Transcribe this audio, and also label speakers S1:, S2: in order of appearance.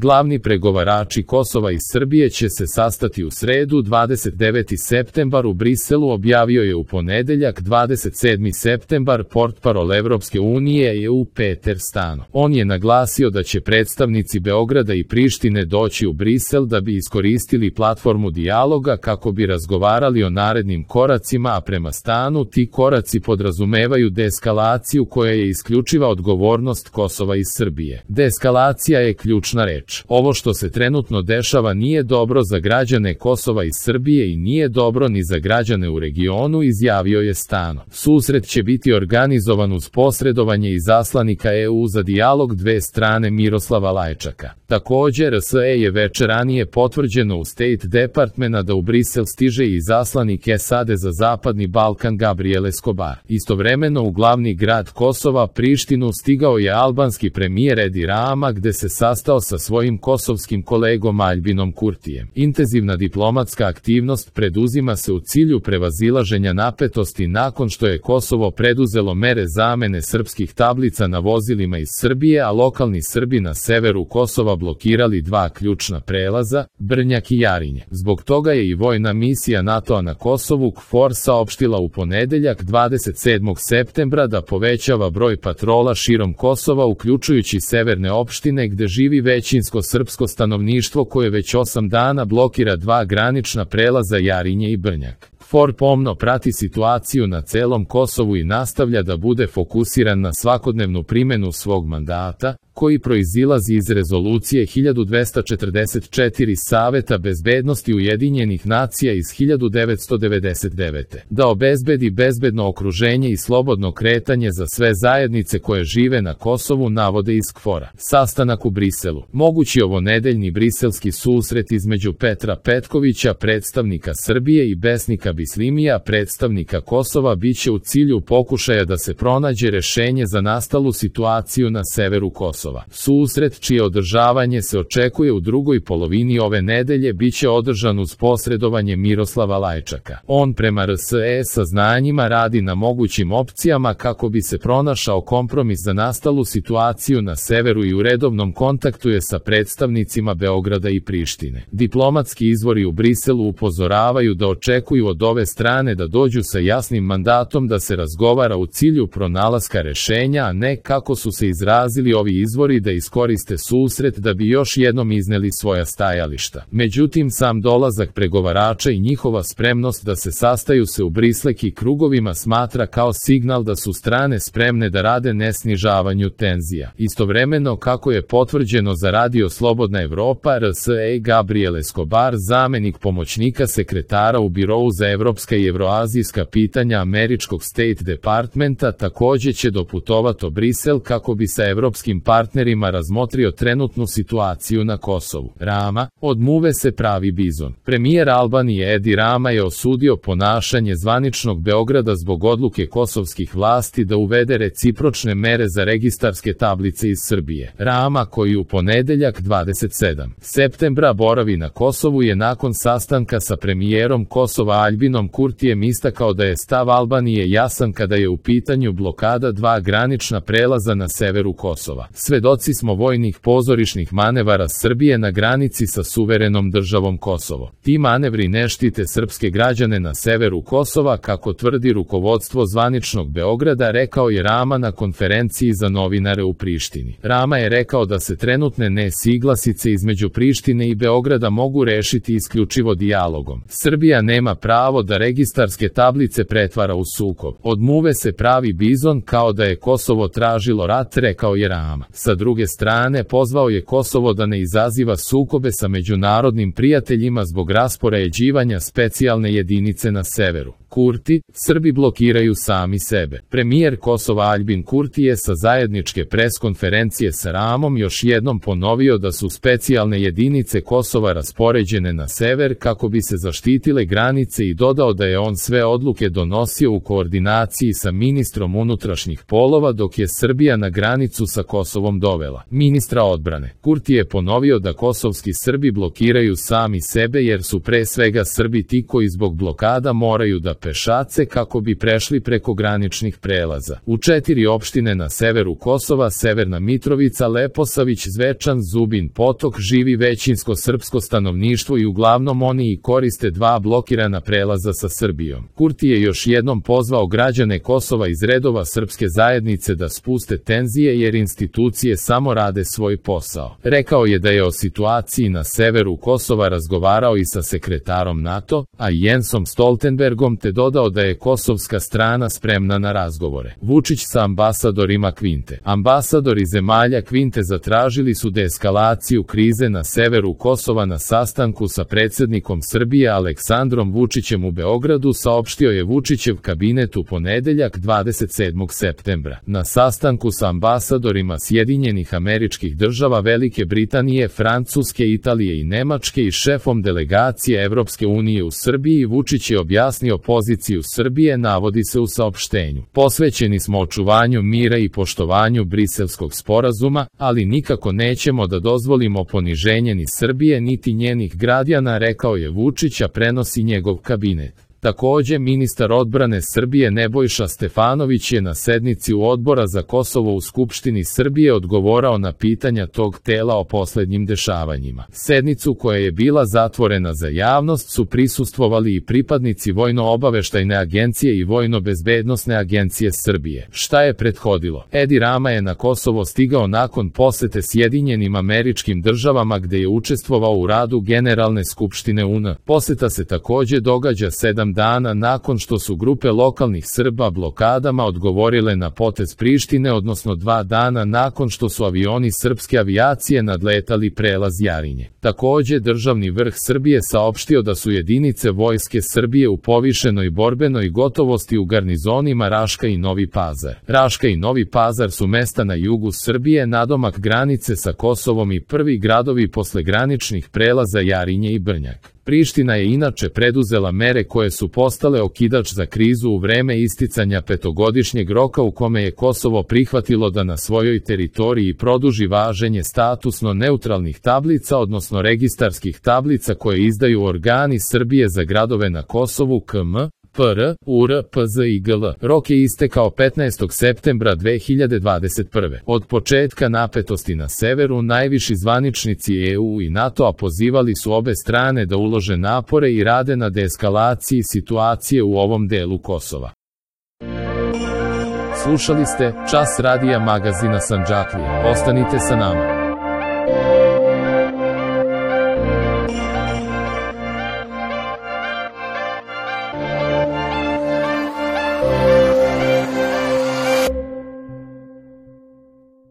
S1: Glavni pregovarači Kosova i Srbije će se sastati u sredu 29. septembar u Briselu, objavio je u ponedeljak 27. septembar portparol Evropske unije EU Peter Stano. On je naglasio da će predstavnici Beograda i Prištine doći u Brisel da bi iskoristili platformu dijaloga kako bi razgovarali o narednim koracima, a prema Stanu ti koraci podrazumevaju deeskalaciju koja je isključiva odgovornost Kosova i Srbije. Deeskalacija je ključna reč. Ovo što se trenutno dešava nije dobro za građane Kosova i Srbije i nije dobro ni za građane u regionu, izjavio je Stano. Susret će biti organizovan uz posredovanje izaslanika EU za dijalog dve strane Miroslava Lajčaka. Također, RSE je večer ranije potvrđeno u State Departmenta da u Brisel stiže i izaslanik SAD za Zapadni Balkan Gabriel Escobar. Istovremeno u glavni grad Kosova, Prištinu, stigao je albanski premijer Edi Rama, gde se sastao sa svojim kosovskim kolegom Aljbinom Kurtijem. Intenzivna diplomatska aktivnost preduzima se u cilju prevazilaženja napetosti nakon što je Kosovo preduzelo mere zamene srpskih tablica na vozilima iz Srbije, a lokalni Srbi na severu Kosova blokirali dva ključna prelaza, Brnjak i Jarinje. Zbog toga je i vojna misija NATO-a na Kosovu KFOR saopštila u ponedeljak 27. septembra da povećava broj patrola širom Kosova, uključujući severne opštine gde živi većinsko srpsko stanovništvo koje već 8 dana blokira dva granična prelaza Jarinje i Brnjak. KFOR pomno prati situaciju na celom Kosovu i nastavlja da bude fokusiran na svakodnevnu primenu svog mandata, koji proizilazi iz rezolucije 1244 Saveta bezbednosti Ujedinjenih nacija iz 1999. Da obezbedi bezbedno okruženje i slobodno kretanje za sve zajednice koje žive na Kosovu, navode iz KFOR-a. Sastanak u Briselu. Mogući ovonedeljni briselski susret između Petra Petkovića, predstavnika Srbije, i Besnika Bislimija, predstavnika Kosova, biće u cilju pokušaja da se pronađe rešenje za nastalu situaciju na severu Kosova. Susret, čije održavanje se očekuje u drugoj polovini ove nedelje, biće održan uz posredovanje Miroslava Lajčaka. On prema RSE saznanjima radi na mogućim opcijama kako bi se pronašao kompromis za nastalu situaciju na severu i u redovnom kontaktu je sa predstavnicima Beograda i Prištine. Diplomatski izvori u Briselu upozoravaju da očekuju od ove strane da dođu sa jasnim mandatom da se razgovara u cilju pronalaska rešenja, a ne, kako su se izrazili ovi izvori, da iskoriste susret da bi još jednom izneli svoja stajališta. Međutim, sam dolazak pregovarača i njihova spremnost da se sastaju se u Brisleki krugovima smatra kao signal da su strane spremne da rade na snižavanju tenzija. Istovremeno, kako je potvrđeno za Radio Slobodna Evropa, RSE Gabriel Escobar, zamenik pomoćnika sekretara u Birou za evropska i evroazijska pitanja američkog State Departmenta, takođe će doputovati u Brisel kako bi sa evropskim partnerima razmotrio trenutnu situaciju na Kosovu. Rama, od muve se pravi bizon. Premijer Albanije Edi Rama je osudio ponašanje zvaničnog Beograda zbog odluke kosovskih vlasti da uvede recipročne mere za registarske tablice iz Srbije. Rama, koji u ponedeljak 27. septembra boravi na Kosovu, je nakon sastanka sa premijerom Kosova Aljbinom Kurtijem istakao da je stav Albanije jasan kada je u pitanju blokada dva granična prelaza na severu Kosova. Svedoci smo vojnih pozorišnih manevara Srbije na granici sa suverenom državom Kosovo. Ti manevri ne štite srpske građane na severu Kosova, kako tvrdi rukovodstvo zvaničnog Beograda, rekao je Rama na konferenciji za novinare u Prištini. Rama je rekao da se trenutne nesuglasice između Prištine i Beograda mogu rešiti isključivo dijalogom. Srbija nema pravo da registarske tablice pretvara u sukob. Od muve se pravi bizon, kao da je Kosovo tražilo rat, rekao je Rama. Sa druge strane, pozvao je Kosovo da ne izaziva sukobe sa međunarodnim prijateljima zbog raspoređivanja specijalne jedinice na severu. Kurti, Srbi blokiraju sami sebe. Premijer Kosova Aljbin Kurti je sa zajedničke preskonferencije sa Ramom još jednom ponovio da su specijalne jedinice Kosova raspoređene na sever kako bi se zaštitile granice i dodao da je on sve odluke donosio u koordinaciji sa ministrom unutrašnjih poslova dok je Srbija na granicu sa Kosovom dovela ministra odbrane. Kurti je ponovio da kosovski Srbi blokiraju sami sebe jer su pre svega Srbi ti koji zbog blokada moraju da pešace kako bi prešli preko graničnih prelaza. U 4 opštine na severu Kosova, Severna Mitrovica, Leposavić, Zvečan, Zubin Potok, živi većinsko srpsko stanovništvo i uglavnom oni i koriste 2 blokirana prelaza sa Srbijom. Kurti je još jednom pozvao građane Kosova iz redova srpske zajednice da spuste tenzije jer institucije samo rade svoj posao. Rekao je da je o situaciji na severu Kosova razgovarao i sa sekretarom NATO, a i Jensom Stoltenbergom, te dodao da je kosovska strana spremna na razgovore. Vučić sa ambasadorima Kvinte. Ambasadori zemalja Kvinte zatražili su deeskalaciju krize na severu Kosova na sastanku sa predsjednikom Srbije Aleksandrom Vučićem u Beogradu, saopštio je Vučićev kabinet u ponedeljak 27. septembra. Na sastanku sa ambasadorima Sjedinjenih Američkih Država, Velike Britanije, Francuske, Italije i Nemačke i šefom delegacije Evropske unije u Srbiji, Vučić je objasnio poziciju Srbije, navodi se u saopštenju. Posvećeni smo očuvanju mira i poštovanju Briselskog sporazuma, ali nikako nećemo da dozvolimo poniženje ni Srbije niti njenih građana, rekao je Vučić, a prenosi njegov kabinet. Takođe, ministar odbrane Srbije Nebojša Stefanović je na sednici u Odbora za Kosovo u Skupštini Srbije odgovorao na pitanja tog tela o poslednjim dešavanjima. Sednicu, koja je bila zatvorena za javnost, su prisustvovali i pripadnici Vojno-obaveštajne agencije i Vojno-bezbednosne agencije Srbije. Šta je prethodilo? Edi Rama je na Kosovo stigao nakon posete Sjedinjenim Američkim Državama gde je učestvovao u radu Generalne skupštine UN. Poseta se takođe događa 7 dana nakon što su grupe lokalnih Srba blokadama odgovorile na potez Prištine, odnosno 2 dana nakon što su avioni srpske avijacije nadletali prelaz Jarinje. Takođe, državni vrh Srbije saopštio da su jedinice Vojske Srbije u povišenoj borbenoj gotovosti u garnizonima Raška i Novi Pazar. Raška i Novi Pazar su mesta na jugu Srbije, nadomak granice sa Kosovom i prvi gradovi posle graničnih prelaza Jarinje i Brnjak. Priština je inače preduzela mere koje su postale okidač za krizu u vreme isticanja 5-godišnjeg roka u kome je Kosovo prihvatilo da na svojoj teritoriji produži važenje statusno neutralnih tablica, odnosno registarskih tablica koje izdaju organi Srbije za gradove na Kosovu KM, PR, UR, PZ i GL. Rok je istekao 15. septembra 2021. Od početka napetosti na severu, najviši zvaničnici EU i NATO-a pozivali su obe strane da ulože napore i rade na deeskalaciji situacije u ovom delu Kosova. Slušali ste Čas radija magazina Sandžaklija. Ostanite sa nama.